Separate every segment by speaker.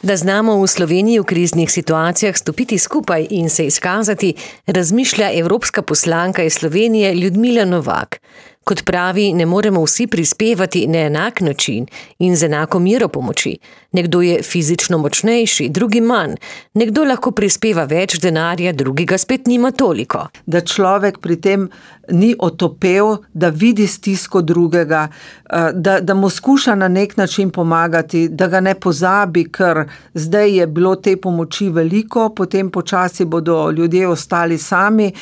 Speaker 1: Da znamo v Sloveniji v kriznih situacijah stopiti skupaj in se izkazati, razmišlja evropska poslanka iz Slovenije Ljudmila Novak. Kot pravi, ne moremo vsi prispevati na enak način in z enako mero pomoči. Nekdo je fizično močnejši, drugi manj. Nekdo lahko prispeva več denarja, drugi ga spet nima toliko.
Speaker 2: Da človek pri tem ni otopel, da vidi stisko drugega, da mu skuša na nek način pomagati, da ga ne pozabi, ker zdaj je bilo te pomoči veliko, potem počasi bodo ljudje ostali sami.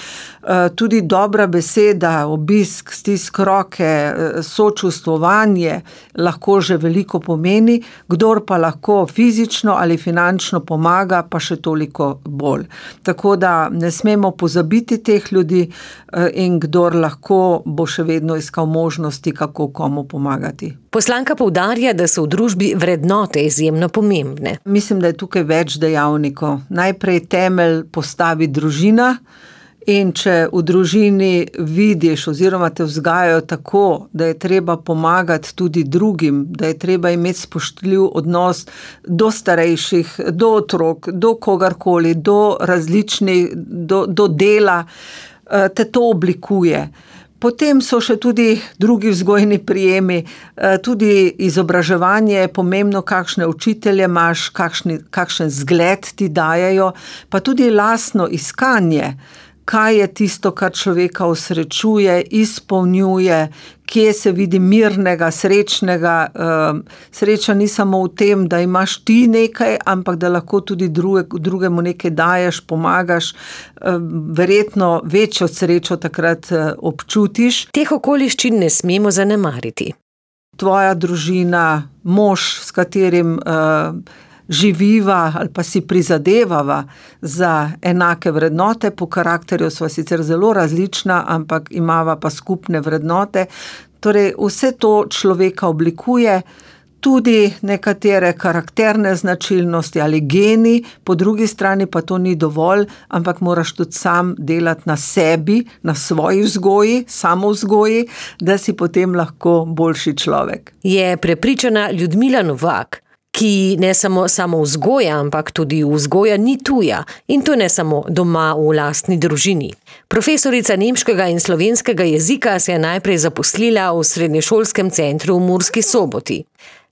Speaker 2: Tudi dobra beseda, obisk, stisk roke, sočustvovanje lahko že veliko pomeni, kdor pa lahko fizično ali finančno pomaga, pa še toliko bolj. Tako da ne smemo pozabiti teh ljudi in kdor lahko bo še vedno iskal možnosti, kako komu pomagati.
Speaker 1: Poslanka poudarja, da so v družbi vrednote izjemno pomembne.
Speaker 2: Mislim, da je tukaj več dejavnikov. Najprej temelj postavi družina. In če v družini vidiš oziroma te vzgajajo tako, da je treba pomagati tudi drugim, da je treba imeti spoštljiv odnos do starejših, do otrok, do kogarkoli, do različnih, do dela, te to oblikuje. Potem so še tudi drugi vzgojni prijemi, tudi izobraževanje je pomembno, kakšne učitelje imaš, kakšen zgled ti dajejo, pa tudi lastno iskanje. Kaj je tisto, kar človeka osrečuje, izpolnjuje, kje se vidi mirnega, srečnega. Sreča ni samo v tem, da imaš ti nekaj, ampak da lahko tudi drugemu nekaj daješ, pomagaš. Verjetno večjo srečo takrat občutiš.
Speaker 1: Teh okoliščin ne smemo zanemariti.
Speaker 2: Tvoja družina, mož, s katerim živiva ali pa si prizadevava za enake vrednote, po karakterju sva sicer zelo različna, ampak imava pa skupne vrednote. Torej, vse to človeka oblikuje, tudi nekatere karakterne značilnosti ali geni, po drugi strani pa to ni dovolj, ampak moraš tudi sam delati na sebi, na svoji vzgoji, samovzgoji, da si potem lahko boljši človek.
Speaker 1: Je prepričana Ljudmila Novak, ki ne samo vzgoja, ampak tudi vzgoja ni tuja in to ne samo doma v lastni družini. Profesorica nemškega in slovenskega jezika se je najprej zaposlila v srednješolskem centru v Murski Soboti.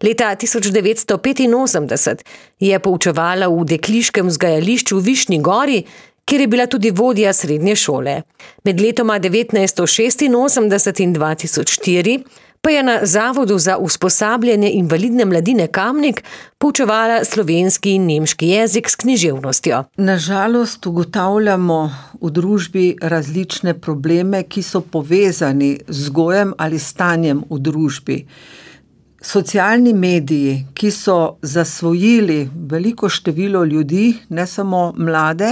Speaker 1: Leta 1985 je poučevala v dekliškem vzgajališču v Višnji Gori, kjer je bila tudi vodja srednje šole. Med letoma 1986 in 2004 pa je na Zavodu za usposabljanje invalidne mladine Kamnik poučevala slovenski in nemški jezik s književnostjo.
Speaker 2: Na žalost ugotavljamo v družbi različne probleme, ki so povezani z vzgojem ali stanjem v družbi. Socialni mediji, ki so zasvojili veliko število ljudi, ne samo mlade,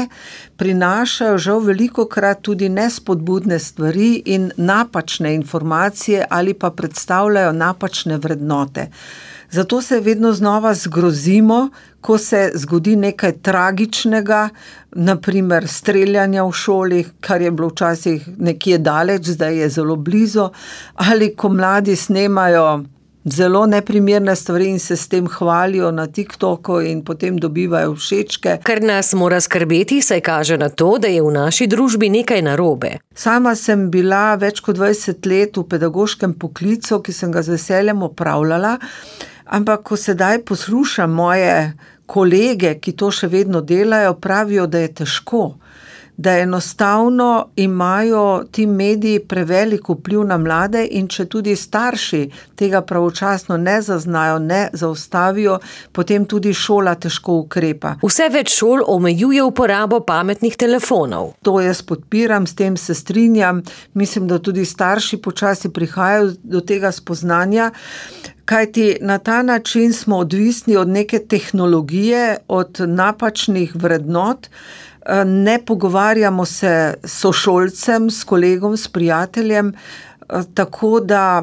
Speaker 2: prinašajo žal velikokrat tudi nespodbudne stvari in napačne informacije ali pa predstavljajo napačne vrednote. Zato se vedno znova zgrozimo, ko se zgodi nekaj tragičnega, naprimer streljanja v šoli, kar je bilo včasih nekje daleč, zdaj je zelo blizu, ali ko mladi snemajo zelo neprimerne stvari in se s tem hvalijo na TikToku in potem dobivajo všečke.
Speaker 1: Kar nas mora skrbeti, saj kaže na to, da je v naši družbi nekaj narobe.
Speaker 2: Sama sem bila več kot 20 let v pedagoškem poklicu, ki sem ga z veseljem opravljala, ampak ko sedaj poslušam moje kolege, ki to še vedno delajo, pravijo, da je težko. Da enostavno imajo ti mediji prevelik vpliv na mlade in če tudi starši tega pravočasno ne zaznajo, ne zaustavijo, potem tudi šola težko ukrepa.
Speaker 1: Vse več šol omejuje uporabo pametnih telefonov.
Speaker 2: To jaz podpiram, s tem se strinjam. Mislim, da tudi starši počasi prihajajo do tega spoznanja, kajti na ta način smo odvisni od neke tehnologije, od napačnih vrednot. Ne pogovarjamo se s sošolcem, s kolegom, s prijateljem, tako da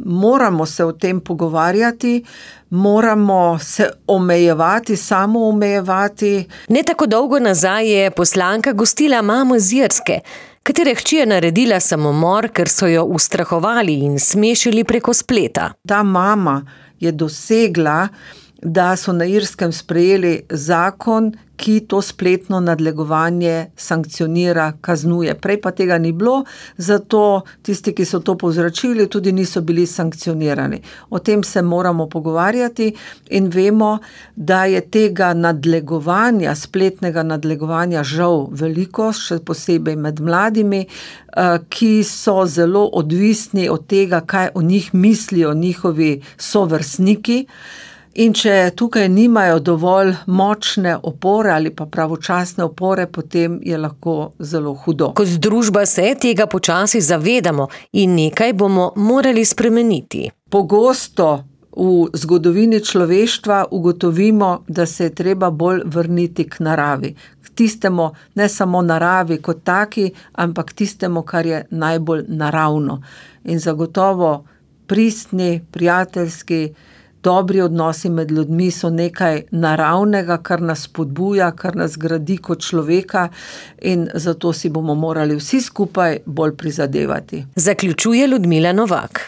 Speaker 2: moramo se o tem pogovarjati, moramo se omejevati, samo omejevati.
Speaker 1: Ne tako dolgo nazaj je poslanka gostila mamo z Irske, katere hči je naredila samomor, ker so jo ustrahovali in smešili preko spleta.
Speaker 2: Ta mama je dosegla da so na Irskem sprejeli zakon, ki to spletno nadlegovanje sankcionira, kaznuje. Prej pa tega ni bilo, zato tisti, ki so to povzročili, tudi niso bili sankcionirani. O tem se moramo pogovarjati in vemo, da je tega nadlegovanja, spletnega nadlegovanja žal veliko, še posebej med mladimi, ki so zelo odvisni od tega, kaj o njih mislijo njihovi sovrstniki. In če tukaj nimajo dovolj močne opore ali pa pravočasne opore, potem je lahko zelo hudo.
Speaker 1: Kot družba se tega počasi zavedamo in nekaj bomo morali spremeniti.
Speaker 2: Pogosto v zgodovini človeštva ugotovimo, da se je treba bolj vrniti k naravi. K tistemu, ne samo naravi kot taki, ampak tistemu, kar je najbolj naravno. In zagotovo pristni, prijateljski, dobri odnosi med ljudmi so nekaj naravnega, kar nas spodbuja, kar nas gradi kot človeka in zato si bomo morali vsi skupaj bolj prizadevati.
Speaker 1: Zaključuje Ljudmila Novak.